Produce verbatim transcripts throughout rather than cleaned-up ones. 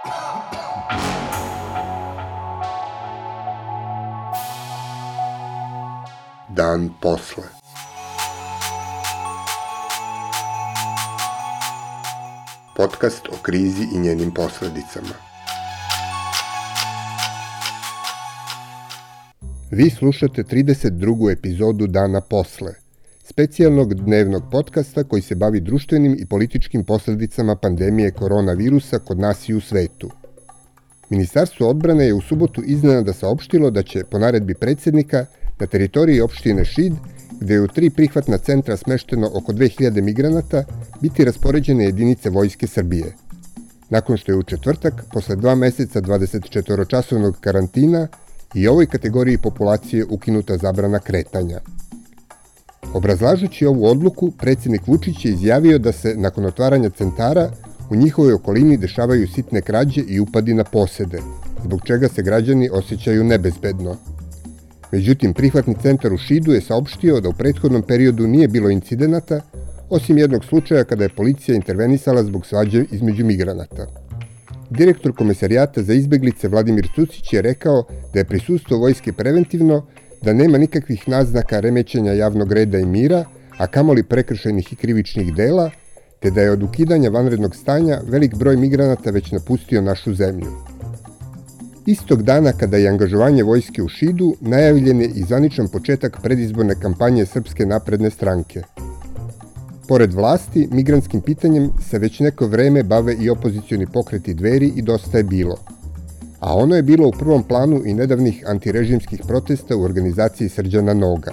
Dan posle. Podcast o krizi i njenim posledicama. Vi slušate trideset drugu epizodu Dana posle, specijalnog dnevnog podcasta koji se bavi društvenim i političkim posledicama pandemije koronavirusa kod nas i u svetu. Ministarstvo odbrane je u subotu iznenada saopštilo da će, po naredbi predsjednika, na teritoriji opštine Šid, gde je u tri prihvatna centra smešteno oko dve hiljade migranata, biti raspoređene jedinice Vojske Srbije. Nakon što je u četvrtak, posle dva meseca dvadesetčetvoročasovnog karantina, i ovoj kategoriji populacije ukinuta zabrana kretanja. Obrazlažući ovu odluku, predsjednik Vučić je izjavio da se, nakon otvaranja centara, u njihovoj okolini dešavaju sitne krađe i upadi na posede, zbog čega se građani osjećaju nebezbedno. Međutim, prihvatni centar u Šidu je saopštio da u prethodnom periodu nije bilo incidenata, osim jednog slučaja kada je policija intervenisala zbog svađe između migranata. Direktor Komesarijata za izbeglice Vladimir Cucić je rekao da je prisustvo vojske preventivno, da nema nikakvih naznaka remećenja javnog reda i mira, a kamoli prekršajnih i krivičnih dela, te da je od ukidanja vanrednog stanja velik broj migranata već napustio našu zemlju. Istog dana kada je angažovanje vojske u Šidu, najavljen je i zvaničan početak predizborne kampanje Srpske napredne stranke. Pored vlasti, migrantskim pitanjem se već neko vreme bave i opozicioni pokreti Dveri i Dosta je bilo. A ono je bilo u prvom planu i nedavnih antirežimskih protesta u organizaciji Srđana Noga.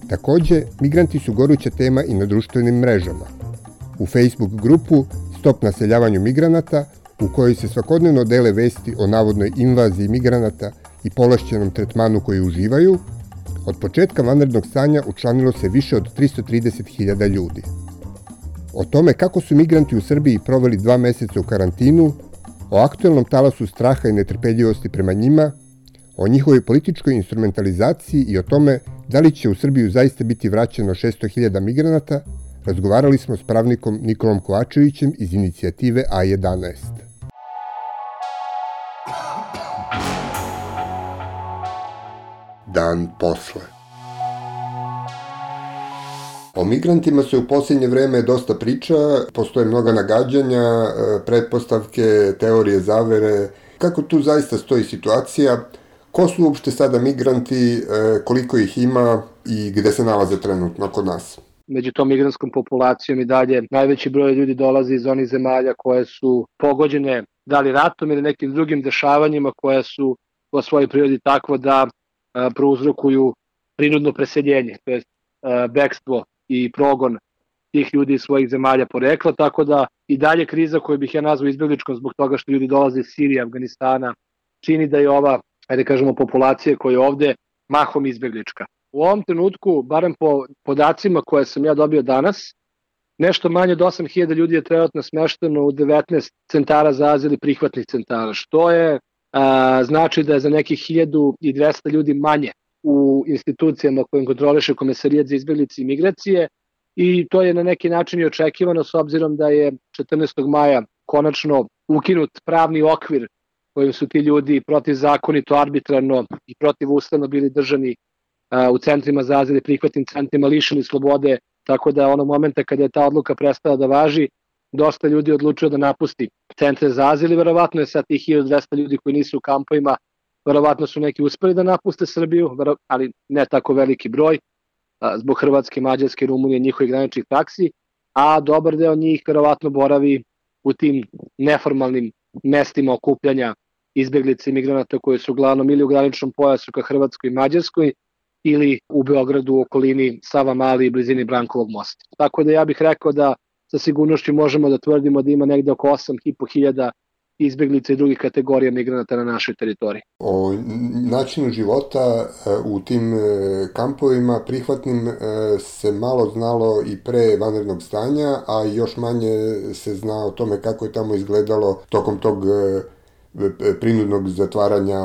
Takođe, migranti su goruća tema i na društvenim mrežama. U Facebook grupu Stop naseljavanju migranata, u kojoj se svakodnevno dele vesti o navodnoj invaziji migranata i povlašćenom tretmanu koji uživaju, od početka vanrednog stanja učlanilo se više od tristo trideset hiljada ljudi. O tome kako su migranti u Srbiji proveli dva meseca u karantinu, o aktuelnom talasu straha i netrpeljivosti prema njima, o njihovoj političkoj instrumentalizaciji i o tome da li će u Srbiju zaista biti vraćeno šesto hiljada migranata, razgovarali smo s pravnikom Nikolom Kovačevićem iz inicijative A jedanaest. Dan posle. O migrantima se u posljednje vreme dosta priča, postoje mnoga nagađanja, pretpostavke, teorije zavere. Kako tu zaista stoji situacija? Ko su uopšte sada migranti, koliko ih ima i gde se nalaze trenutno kod nas? Među tom migrantskom populacijom i dalje najveći broj ljudi dolazi iz onih zemalja koje su pogođene da li ratom ili nekim drugim dešavanjima koja su po svojoj prirodi takvo da a, prouzrokuju prinudno preseljenje, to je a, bekstvo i progon tih ljudi iz svojih zemalja porekla, tako da i dalje kriza koju bih ja nazvao izbegličkom zbog toga što ljudi dolaze iz Sirije, Afganistana, čini da je ova, ajde kažemo, populacija koja je ovde mahom izbeglička. U ovom trenutku, barem po podacima koje sam ja dobio danas, nešto manje od osam hiljada ljudi je trenutno smešteno u devetnaest centara za azil i prihvatnih centara, što je a, znači da je za nekih hiljadu dvesta ljudi manje u institucijama kojim kontroliše Komesarijat za izbeglice i migracije, i to je na neki način i očekivano s obzirom da je četrnaestog maja konačno ukinut pravni okvir kojim su ti ljudi protivzakonito, arbitrarno i protivustavno bili držani u centrima za azil i prihvatnim centrima, lišeni slobode, tako da onog momenta kada je ta odluka prestala da važi, dosta ljudi odlučio da napusti centre za azil i verovatno je sad tih hiljadu dvesta ljudi koji nisu u kampovima, verovatno su neki uspeli da napuste Srbiju, ali ne tako veliki broj, zbog Hrvatske, Mađarske, Rumunije, njihovih graničnih taksi, a dobar deo njih verovatno boravi u tim neformalnim mestima okupljanja izbeglica i migranata koji su uglavnom ili u graničnom pojasu ka Hrvatskoj i Mađarskoj, ili u Beogradu u okolini Savamale i blizini Brankovog mosta. Tako da ja bih rekao da sa sigurnošću možemo da tvrdimo da ima negde oko osam i po hiljada izbeglica i drugih kategorija migranata na našoj teritoriji. O načinu života u tim kampovima prihvatnim se malo znalo i pre vanrednog stanja, a još manje se zna o tome kako je tamo izgledalo tokom tog prinudnog zatvaranja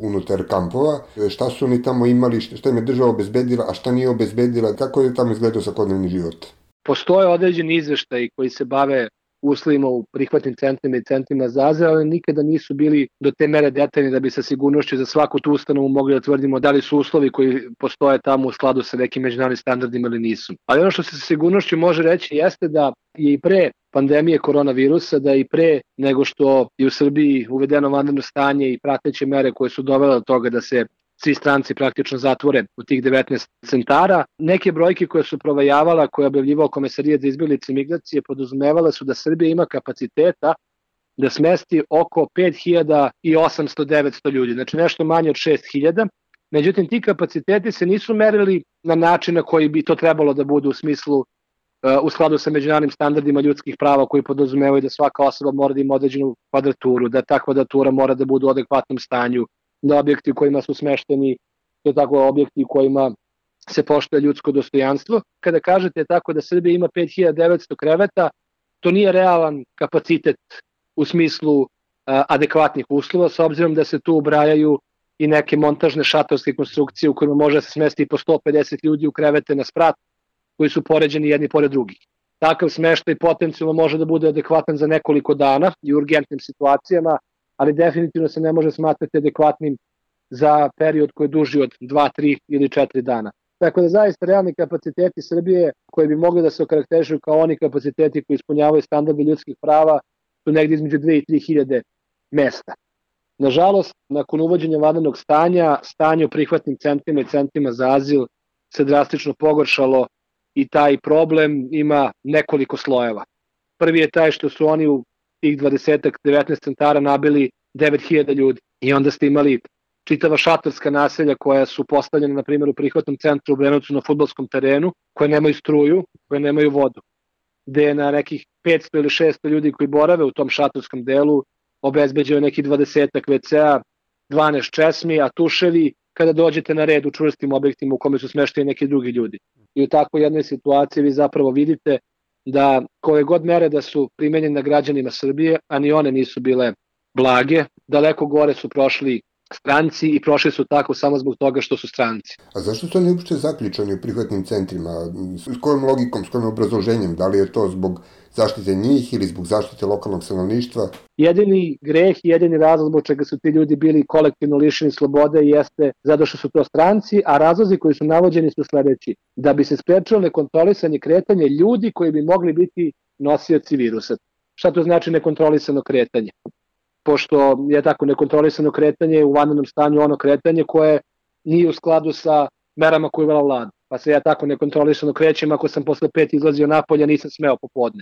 unutar kampova. Šta su oni tamo imali, šta im je država obezbedila, a šta nije obezbedila, kako je tamo izgledao svakodnevni život? Postoje određeni izveštaji koji se bave uslovima u prihvatnim centrima i centrima za azil, ali nikada nisu bili do te mere detaljni da bi sa sigurnošću za svaku tu ustanovu mogli da tvrdimo da li su uslovi koji postoje tamo u skladu sa nekim međunarodnim standardima ili nisu. Ali ono što se sa sigurnošću može reći jeste da je i pre pandemije koronavirusa, da i pre nego što je u Srbiji uvedeno vanredno stanje i prateće mere koje su dovele do toga da se svi stranci praktično zatvore u tih devetnaest centara. Neke brojke koje su provajavala, koje je objavljivao Komesarijat za izbeglice i migracije, podrazumevale su da Srbija ima kapaciteta da smesti oko pet hiljada osamsto do devetsto ljudi, znači nešto manje od šest hiljada. Međutim, ti kapaciteti se nisu merili na način na koji bi to trebalo da bude u smislu u skladu sa međunarodnim standardima ljudskih prava koji podrazumevaju da svaka osoba mora da ima određenu kvadraturu, da ta kvadratura mora da bude u adekvatnom stanju, da objekti u kojima su smešteni, to je tako objekti u kojima se poštuje ljudsko dostojanstvo. Kada kažete tako da Srbija ima pet hiljada devetsto kreveta, to nije realan kapacitet u smislu a, adekvatnih uslova, s obzirom da se tu ubrajaju i neke montažne šatorske konstrukcije u kojima može se smesti po sto pedeset ljudi u krevete na sprat, koji su poređeni jedni pored drugih. Takav smeštaj potencijalno može da bude adekvatan za nekoliko dana i u urgentnim situacijama, ali definitivno se ne može smatrati adekvatnim za period koji je duži od dva, tri ili četiri dana. Tako da zaista realni kapaciteti Srbije koji bi mogli da se okarakterišu kao oni kapaciteti koji ispunjavaju standarde ljudskih prava su negdje između dve i tri hiljade mesta. Nažalost, nakon uvođenja vanrednog stanja, stanje u prihvatnim centrima i centrima za azil se drastično pogoršalo i taj problem ima nekoliko slojeva. Prvi je taj što su oni u tih dvadeset do devetnaest centara nabili devet hiljada ljudi i onda ste imali čitava šatorska naselja koja su postavljena, na primjer, u prihvatnom centru u Obrenovcu na fudbalskom terenu, koje nemaju struju, koje nemaju vodu, gde je na nekih petsto ili šesto ljudi koji borave u tom šatorskom delu obezbeđeno nekih dvadesetak ve ce-a, dvanaest česmi, a tuševi kada dođete na red u čvrstim objektima u kome su smešteni neki drugi ljudi. I u takvoj jednoj situaciji vi zapravo vidite da koje god mere da su primenjene na građanima Srbije, a ni one nisu bile blage, daleko gore su prošli stranci i prošli su tako samo zbog toga što su stranci. A zašto su oni uopšte zaključani u prihvatnim centrima? S kojom logikom, s kojim obrazloženjem? Da li je to zbog zaštite njih ili zbog zaštite lokalnog stanovništva? Jedini greh i jedini razlog zbog čega su ti ljudi bili kolektivno lišeni slobode jeste zato što su to stranci, a razlozi koji su navođeni su sledeći. Da bi se sprečilo nekontrolisanje kretanje ljudi koji bi mogli biti nosioci virusa. Šta to znači nekontrolisano kretanje? Pošto je tako nekontrolisano kretanje u vanrednom stanju ono kretanje koje nije u skladu sa merama koje je uvela vlada. Pa se ja tako nekontrolisano krećem ako sam posle pet izlazio napolje, nisam smeo popodne.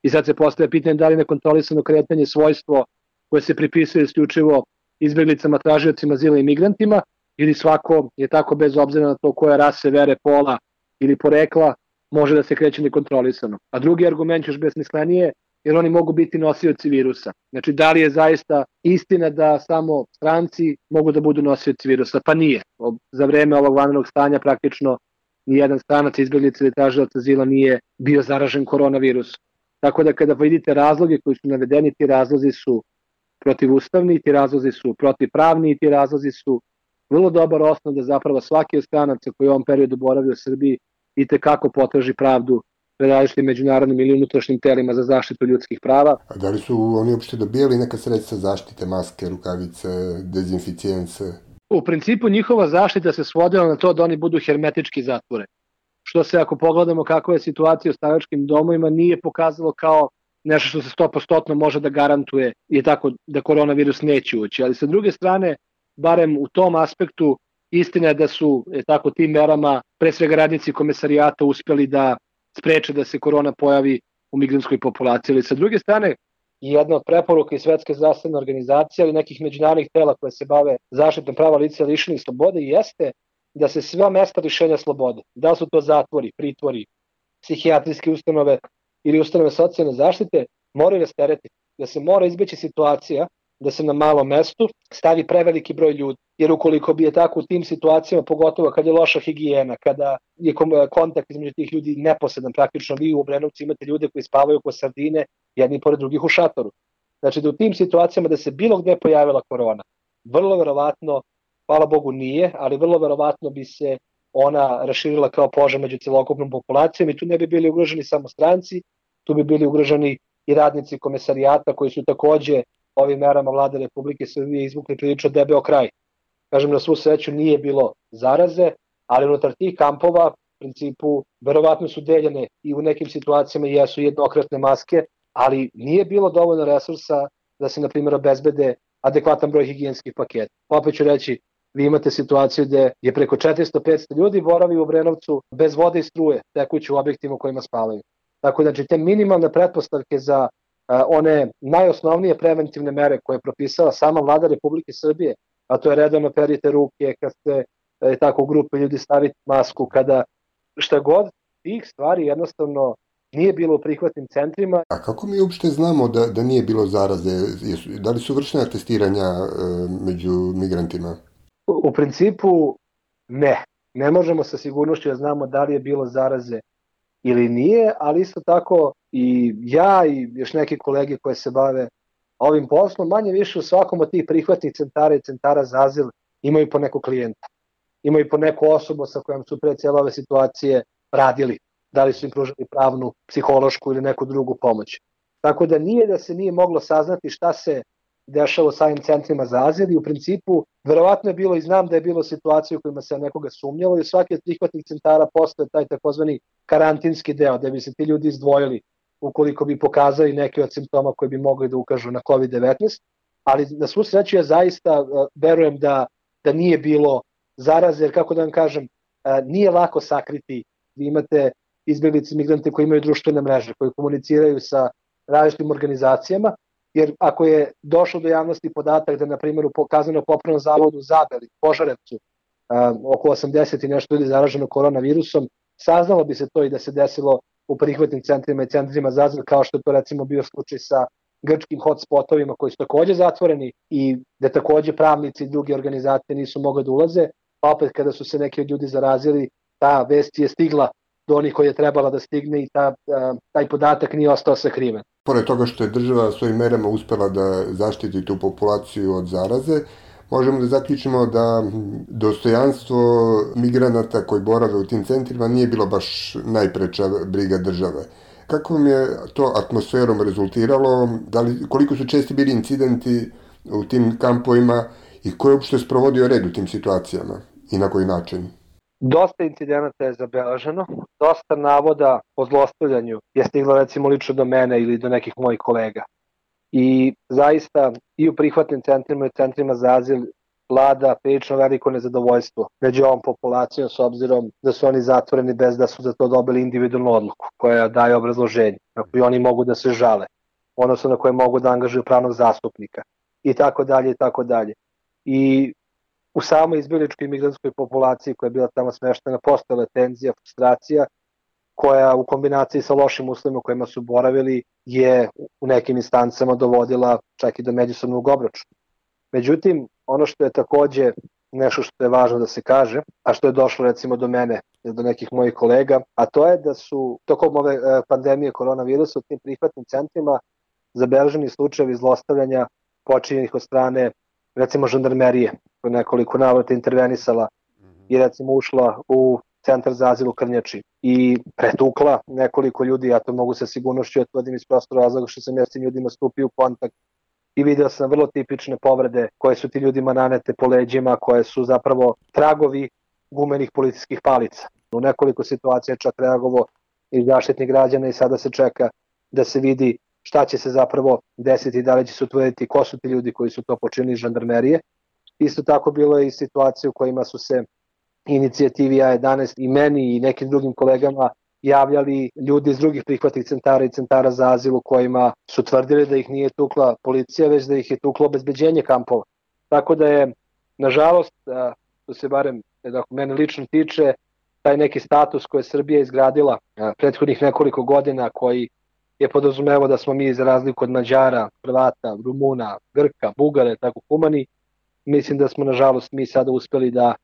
I sad se postaje pitanje da li nekontrolisano kretanje svojstvo koje se pripisuje isključivo izbeglicama, tražiocima azila i migrantima, ili svako je tako bez obzira na to koje rase, vere, pola ili porekla može da se kreće nekontrolisano. A drugi argument još besmislenije, jer oni mogu biti nosioci virusa. Znači, da li je zaista istina da samo stranci mogu da budu nosioci virusa? Pa nije. Za vreme ovog vanrednog stanja praktično nijedan stranac, izbeglica ili tražilac azila nije bio zaražen koronavirusom. Tako da kada vidite razloge koji su navedeni, ti razlozi su protivustavni, ti razlozi su protivpravni, ti razlozi su vrlo dobar osnov da zapravo svaki od stranaca koji u ovom periodu boravi u Srbiji i tekako potraži pravdu pred različitim međunarodnim ili unutrašnjim telima za zaštitu ljudskih prava. A da li su oni uopšte dobijali neka sredstva zaštite, maske, rukavice, dezinficijence? U principu njihova zaštita se svodila na to da oni budu hermetički zatvore. Što se, ako pogledamo kakva je situacija u staračkim domovima, nije pokazalo kao nešto što se sto posto može da garantuje je tako da koronavirus neće ući. Ali sa druge strane, barem u tom aspektu, istina je da su je tako tim merama, pre svega radnici komesarijata, uspjeli da spreče da se korona pojavi u migrantskoj populaciji. Ali sa druge strane, jedna od preporuka i Svetske zdravstvene organizacije ali nekih međunarodnih tela koje se bave zaštitom prava lica lišenih slobode jeste da se sva mesta lišenja slobode, da su to zatvori, pritvori, psihijatrijske ustanove ili ustanove socijalne zaštite, moraju rasteretiti. Da se mora izbeći situacija da se na malom mestu stavi preveliki broj ljudi. Jer ukoliko bi je tako u tim situacijama, pogotovo kad je loša higijena, kada je kontakt između tih ljudi neposredan, praktično vi u Obrenovcu imate ljude koji spavaju ko sardine, jedni pored drugih u šatoru. Znači da u tim situacijama da se bilo gde pojavila korona, vrlo verovatno, hvala Bogu nije, ali vrlo verovatno bi se ona raširila kao požar među celokupnom populacijom i tu ne bi bili ugroženi samo stranci, tu bi bili ugroženi i radnici komesarijata koji su takođe ovim merama vlade Republike Srbije izvukli prilično debeo kraj. Kažem, na svu sreću nije bilo zaraze, ali unutar tih kampova u principu verovatno su deljene i u nekim situacijama jesu jednokratne maske, ali nije bilo dovoljno resursa da se, na primjer, obezbede adekvatan broj higijenskih paketa. Opet ću reći, vi imate situaciju gde je preko četiristo do petsto ljudi boravi u Obrenovcu bez vode i struje, tekući u objektima u kojima spavaju. Tako da, znači, te minimalne pretpostavke za a, one najosnovnije preventivne mere koje je propisala sama vlada Republike Srbije, a to je redovno perite ruke, kad ste e, tako u grupe ljudi staviti masku, kada šta god, tih stvari jednostavno nije bilo u prihvatnim centrima. A kako mi uopšte znamo da, da nije bilo zaraze? Da li su vršena testiranja e, među migrantima? U, u principu ne. Ne možemo sa sigurnošću da znamo da li je bilo zaraze ili nije, ali isto tako i ja i još neki kolege koje se bave ovim poslom, manje više u svakom od tih prihvatnih centara i centara za azil imaju po nekog klijenta. Imaju po neku osobu sa kojom su pre cijele ove situacije radili. Da li su im pružali pravnu, psihološku ili neku drugu pomoć. Tako da nije da se nije moglo saznati šta se dešava sa ovim centrima za azil i u principu verovatno je bilo i znam da je bilo situacije u kojima se nekoga sumnjalo i svaki od prihvatnih centara postoje taj takozvani karantinski deo da bi se ti ljudi izdvojili ukoliko bi pokazali neke od simptoma koji bi mogli da ukažu na kovid devetnaest, ali na svu sreću ja zaista uh, verujem da, da nije bilo zaraze, jer kako da vam kažem, uh, nije lako sakriti. Vi imate izbjeglice, migrante koji imaju društvene mreže, koji komuniciraju sa različitim organizacijama, jer ako je došlo do javnosti podatak da, na primjer, u kazneno-popravnom zavodu Zabeli, Požarevcu, um, oko osamdeset i nešto ljudi zaraženo koronavirusom, saznalo bi se to i da se desilo u prihvatnim centrima i centrima za azil, kao što je to recimo bio slučaj sa grčkim hotspotovima koji su takođe zatvoreni i da takođe pravnici i druge organizacije nisu mogli da ulaze, pa opet kada su se neki ljudi zarazili, ta vest je stigla do onih koji je trebala da stigne i ta, taj podatak nije ostao sakriven. Pored toga što je država svojim merama uspela da zaštiti tu populaciju od zaraze, možemo da zaključimo da dostojanstvo migranata koji borave u tim centrima nije bilo baš najpreča briga države. Kako vam je to atmosferom rezultiralo? Da li, koliko su česti bili incidenti u tim kampovima i ko je uopšte sprovodio red u tim situacijama i na koji način? Dosta incidenata je zabeleženo, dosta navoda o zlostavljanju je stiglo recimo lično do mene ili do nekih mojih kolega. I zaista i u prihvatnim centrima i centrima za azil vlada prilično veliko nezadovoljstvo među ovom populacijom s obzirom da su oni zatvoreni bez da su za to dobili individualnu odluku koja daje obrazloženje, na koji oni mogu da se žale, odnosno na koje mogu da angažuju pravnog zastupnika i tako dalje i tako dalje. I u samoj izbjegličkoj migrantskoj populaciji koja je bila tamo smeštena postojala tenzija, frustracija koja u kombinaciji sa lošim uslovima kojima su boravili je u nekim instancama dovodila čak i do međusobnog obračuna. Međutim, ono što je takođe nešto što je važno da se kaže, a što je došlo recimo do mene ili do nekih mojih kolega, a to je da su tokom ove pandemije koronavirusa u tim prihvatnim centrima zabeleženi slučajevi zlostavljanja počinjenih od strane recimo žandarmerije, koja nekoliko navrata intervenisala i recimo ušla u centar za azil u Krnjači i pretukla nekoliko ljudi, ja to mogu sa sigurnošću otvorim iz prostora razloga što sam ja s tim ljudima stupio u kontakt i video sam vrlo tipične povrede koje su ti ljudima nanete po leđima, koje su zapravo tragovi gumenih policijskih palica. U nekoliko situacija čak reagovao i zaštitnik građana i sada se čeka da se vidi šta će se zapravo desiti, da li će se utvrditi ko su ti ljudi koji su to počinili iz žandarmerije. Isto tako bilo je i situacije u kojima su se inicijativi A jedanaest i meni i nekim drugim kolegama javljali ljudi iz drugih prihvatnih centara i centara za azil u kojima su tvrdili da ih nije tukla policija, već da ih je tuklo obezbeđenje kampova. Tako da je, nažalost, to se barem da mene lično tiče, taj neki status koji je Srbija izgradila prethodnih nekoliko godina, koji je podrazumevao da smo mi za razliku od Mađara, Hrvata, Rumuna, Grka, Bugare, tako humani, mislim da smo nažalost mi sada uspeli da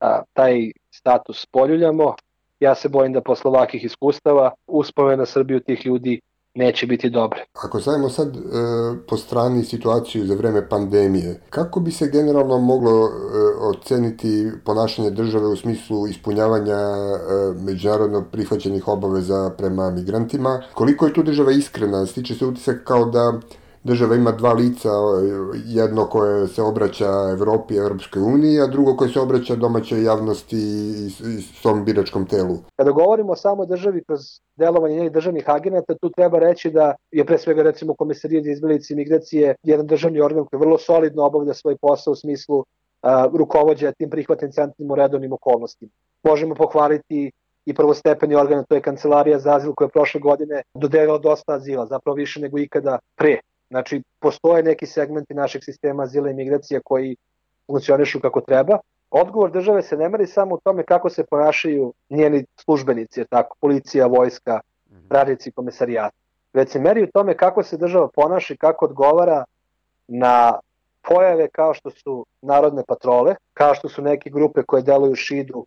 a, taj status poljuljamo. Ja se bojim da posle ovakvih iskustava uspomena na Srbiju tih ljudi neće biti dobre. Ako stavimo sad e, po strani situaciju za vreme pandemije, kako bi se generalno moglo e, oceniti ponašanje države u smislu ispunjavanja e, međunarodno prihvaćenih obaveza prema migrantima? Koliko je tu država iskrena? Stiče se utisak kao da država ima dva lica, jedno koje se obraća Evropi i Evropskoj uniji, a drugo koje se obraća domaćoj javnosti i svom biračkom telu. Kada govorimo o samoj državi kroz delovanje njenih državnih agenata, tu treba reći da je pre svega recimo Komesarijat za izbeglice i migracije jedan državni organ koji vrlo solidno obavlja svoj posao u smislu a, rukovođenja tim prihvatnim centrima u redovnim okolnostima. Možemo pohvaliti i prvostepeni organ, to je Kancelarija za azil koja je prošle godine dodelila dosta azila, zapravo više nego ikada pre. Znači, postoje neki segmenti našeg sistema azila i migracija koji funkcionišu kako treba. Odgovor države se ne meri samo u tome kako se ponašaju njeni službenici, tako, policija, vojska, radnici komesarijata. Već se meri u tome kako se država ponaša i kako odgovara na pojave kao što su narodne patrole, kao što su neke grupe koje deluju u šidu uh,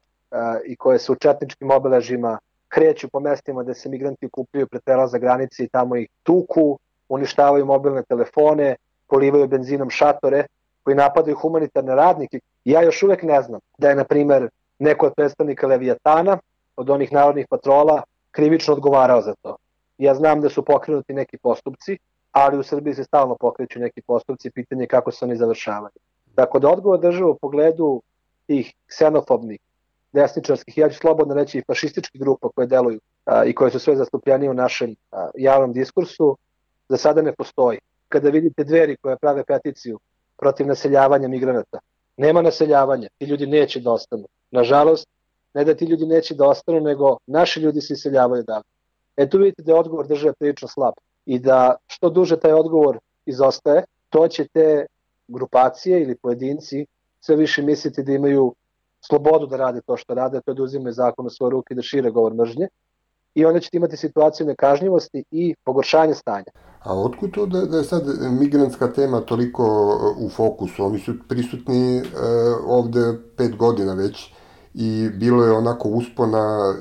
i koje su u četničkim obeležima, kreću po mestima gde se migranti okupljaju pred prelazak granice i tamo ih tuku, uništavaju mobilne telefone, polivaju benzinom šatore, koji napadaju humanitarne radnike. Ja još uvek ne znam da je, na primer, neko od predstavnika Leviatana, od onih narodnih patrola, krivično odgovarao za to. Ja znam da su pokrenuti neki postupci, ali u Srbiji se stalno pokreću neki postupci, pitanje kako se oni završavaju. Tako da odgovor država u pogledu tih ksenofobnih, desničarskih, ja ću slobodno reći i fašističkih grupa koje deluju a, i koje su sve zastupljenije u našem a, javnom diskursu, za sada ne postoji. Kada vidite Dveri koje prave peticiju protiv naseljavanja migranata, nema naseljavanja, ti ljudi neće da ostanu. Nažalost, ne da ti ljudi neće da ostanu, nego naši ljudi se iseljavaju dalje. E tu vidite da je odgovor države prilično slab i da što duže taj odgovor izostaje, to će te grupacije ili pojedinci sve više misliti da imaju slobodu da rade to što rade, to je da uzimaju zakon u svoje ruke i da šire govor mržnje. I onda ćete imati situaciju nekažnjivosti i pogoršanje stanja. A otkud to da, da je sad migrantska tema toliko u fokusu? Oni su prisutni e, ovde pet godina već i bilo je onako uspona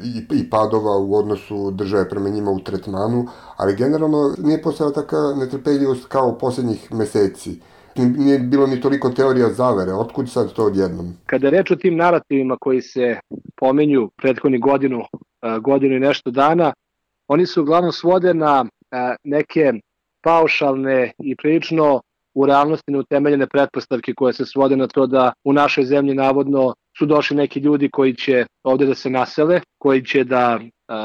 i, i padova u odnosu države prema njima u tretmanu, ali generalno nije postojala taka netrpeljivost kao poslednjih meseci. Nije bilo ni toliko teorija zavere. Otkud sad to odjednom? Kada je reč o tim narativima koji se pomenju prethodni godinu, godinu i nešto dana, oni su uglavnom svode na neke paušalne i prilično u realnosti neutemeljene pretpostavke koje se svode na to da u našoj zemlji navodno su došli neki ljudi koji će ovde da se nasele, koji će da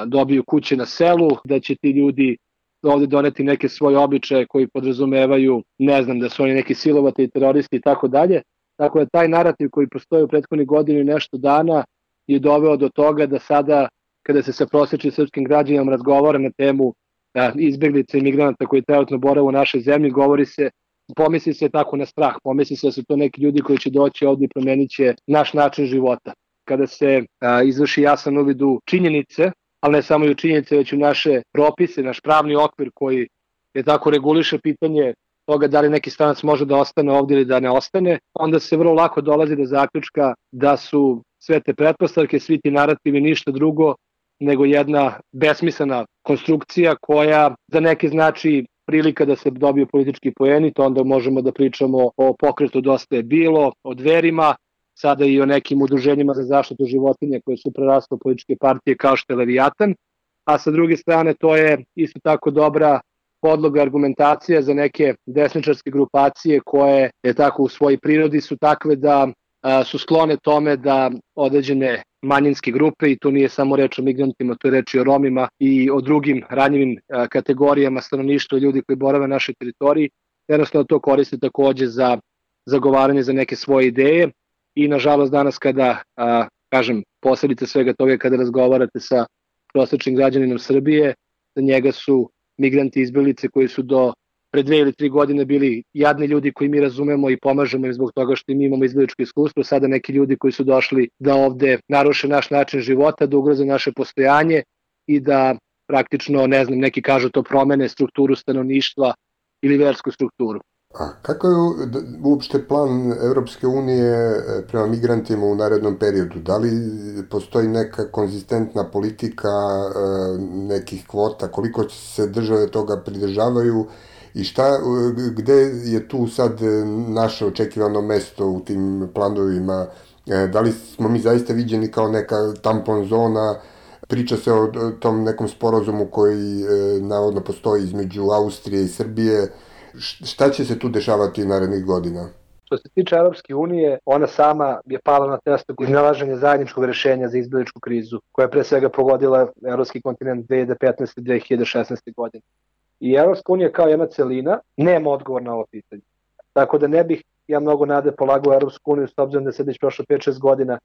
dobiju kuće na selu, da će ti ljudi ovde doneti neke svoje običaje koji podrazumevaju, ne znam, da su oni neki silovatelji, teroristi i tako dalje. Tako da taj narativ koji postoji u prethodnih godinu i nešto dana je doveo do toga da sada, kada se sa prosječnim srpskim građanima razgovara na temu a, izbeglica i migranata koji trenutno borave u našoj zemlji, govori se, pomisli se tako na strah, pomisli se da su to neki ljudi koji će doći ovde i promenit će naš način života. Kada se a, izvrši jasan uvid u činjenice, ali ne samo i u činjenice, već u naše propise, naš pravni okvir koji je tako reguliše pitanje toga da li neki stranac može da ostane ovdje ili da ne ostane, onda se vrlo lako dolazi do zaključka da su sve te pretpostavke, svi ti narativi ništa drugo nego jedna besmislena konstrukcija koja za neke znači prilika da se dobiju politički poeni, to onda možemo da pričamo o pokretu Dosta je bilo, o Dverima, sada i o nekim udruženjima za zaštitu životinja koje su prerasle u političke partije kao što je Leviatan, a sa druge strane to je isto tako dobra podloga argumentacija za neke desničarske grupacije koje je tako u svojoj prirodi su takve da a, su sklone tome da određene manjinske grupe, i tu nije samo reč o migrantima, to je reč i o Romima i o drugim ranjivim a, kategorijama stanovništva i ljudi koji borave na našoj teritoriji, jednostavno to koriste takođe za zagovaranje za neke svoje ideje. I nažalost danas kada, a, kažem, posledice svega toga kada razgovarate sa prosječnim građaninom Srbije, za njega su migranti izbeglice koji su do pre dve ili tri godine bili jadni ljudi koji mi razumemo i pomažemo im zbog toga što mi imamo izbegličko iskustvo, sada neki ljudi koji su došli da ovde naruše naš način života, da ugroze naše postojanje i da praktično, ne znam, neki kažu to promene strukturu stanovništva ili versku strukturu. A kako je uopšte plan Evropske unije prema migrantima u narednom periodu? Da li postoji neka konzistentna politika nekih kvota, koliko se države toga pridržavaju i šta, gde je tu sad naše očekivano mesto u tim planovima? Da li smo mi zaista viđeni kao neka tampon zona? Priča se o tom nekom sporazumu koji navodno postoji između Austrije i Srbije. Šta će se tu dešavati narednih godina? Što se tiče Evropske unije, ona sama je pala na testu iznalaženja zajedničkog rešenja za izbegličku krizu, koja je pre svega pogodila evropski kontinent dve hiljade petnaeste. do dve hiljade šesnaeste. godine. I Evropska unija kao jedna celina nema odgovor na ovo pitanje. Tako da ne bih ja mnogo nade polagao Evropsku uniju, s obzirom da se već prošlo pet šest godina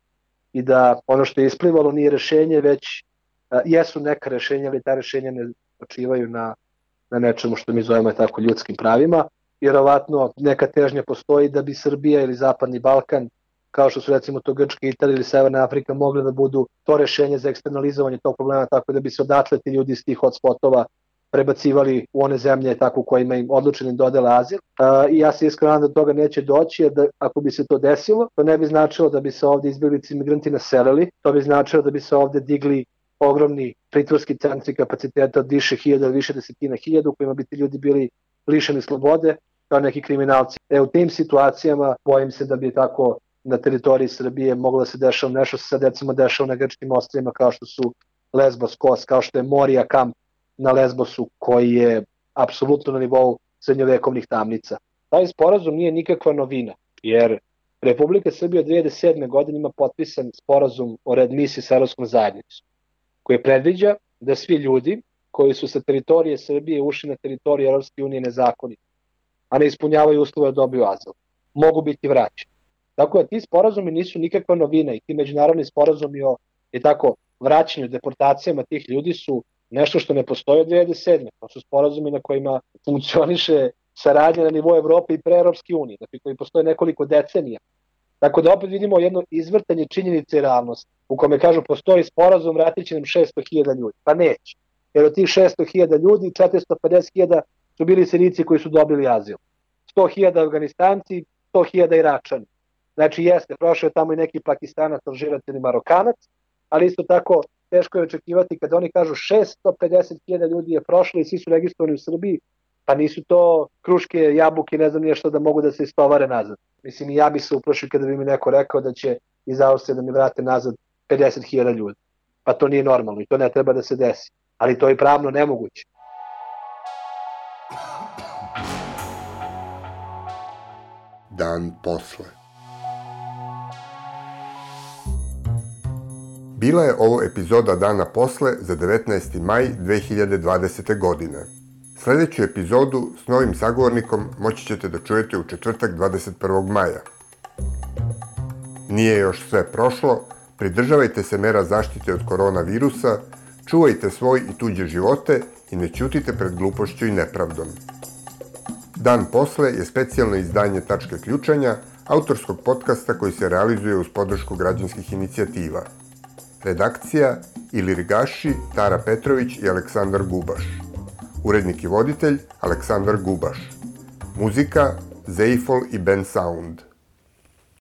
i da ono što je isplivalo nije rešenje, već a, jesu neka rešenja, ali ta rešenja ne počivaju na na nečemu što mi zovemo tako ljudskim pravima. Vjerovatno neka težnja postoji da bi Srbija ili Zapadni Balkan, kao što su recimo to Grčka, Italija ili Severna Afrika, mogli da budu to rešenje za eksternalizovanje tog problema, tako da bi se odatle ti ljudi iz tih hotspotova prebacivali u one zemlje tako u kojima im odlučeni dodele azil. Uh, I ja se iskreno da toga neće doći, jer da, ako bi se to desilo, to ne bi značilo da bi se ovde izbjeglice i migranti naselili, to bi značilo da bi se ovde digli ogromni pritvorski centri kapaciteta od više hiljada ili više desetina hiljada u kojima bi ti ljudi bili lišeni slobode kao neki kriminalci. E, u tim situacijama bojim se da bi tako na teritoriji Srbije moglo da se dešava nešto se sad recimo dešava na grčkim ostrvima kao što su Lesbos, Kos, kao što je Moria kamp na Lesbosu koji je apsolutno na nivou srednjovekovnih tamnica. Taj sporazum nije nikakva novina, jer Republika Srbija od dve hiljade sedme. godine ima potpisan sporazum o readmisiji sa Evropskom zajednicom, koji predviđa da svi ljudi koji su sa teritorije Srbije ušli na teritoriju Evropske unije nezakonito, a ne ispunjavaju uslove da dobiju azil, mogu biti vraćeni. Tako da ti sporazumi nisu nikakva novina i ti međunarodni sporazumi o i tako, vraćanju, deportacijama tih ljudi su nešto što ne postoji od dve hiljade sedme. To su sporazumi na kojima funkcioniše saradnja na nivou Evrope i pre Evropske unije, dakle koji postoje nekoliko decenija. Tako da opet vidimo jedno izvrtanje činjenice i realnosti, u kome kažu postoji sporazum, vratit će nam šesto hiljada ljudi. Pa neće. Jer od tih šesto hiljada ljudi, četiristo pedeset hiljada su bili Sirijci koji su dobili azil. sto hiljada Afganistanci, sto hiljada Iračani. Znači jeste, prošao je tamo i neki Pakistanac, Alžirac ili Marokanac, ali isto tako teško je očekivati kada oni kažu šesto pedeset hiljada ljudi je prošlo i svi su registrovani u Srbiji, pa nisu to kruške, jabuke, ne znam nije što da mogu da se istovare nazad. Mislim, i ja bi se uplašio kada bi mi neko rekao da će iz Austrije da mi vrate nazad pedeset hiljada ljudi. Pa to nije normalno i to ne treba da se desi. Ali to je pravno nemoguće. Dan posle. Bila je ovo epizoda Dana posle za devetnaesti maj dve hiljade dvadesete. godine. Sledeću epizodu s novim sagovornikom moći ćete da čujete u četvrtak dvadeset prvog maja. Nije još sve prošlo, pridržavajte se mera zaštite od koronavirusa, čuvajte svoj i tuđe živote i ne ćutite pred glupošću i nepravdom. Dan posle je specijalno izdanje Tačke ključanja, autorskog podcasta koji se realizuje uz podršku građanskih inicijativa. Redakcija Ilir Gaši, Tara Petrović i Aleksandar Gubaš. Urednik i voditelj Aleksandar Gubaš. Muzika Zeifol i Ben Sound.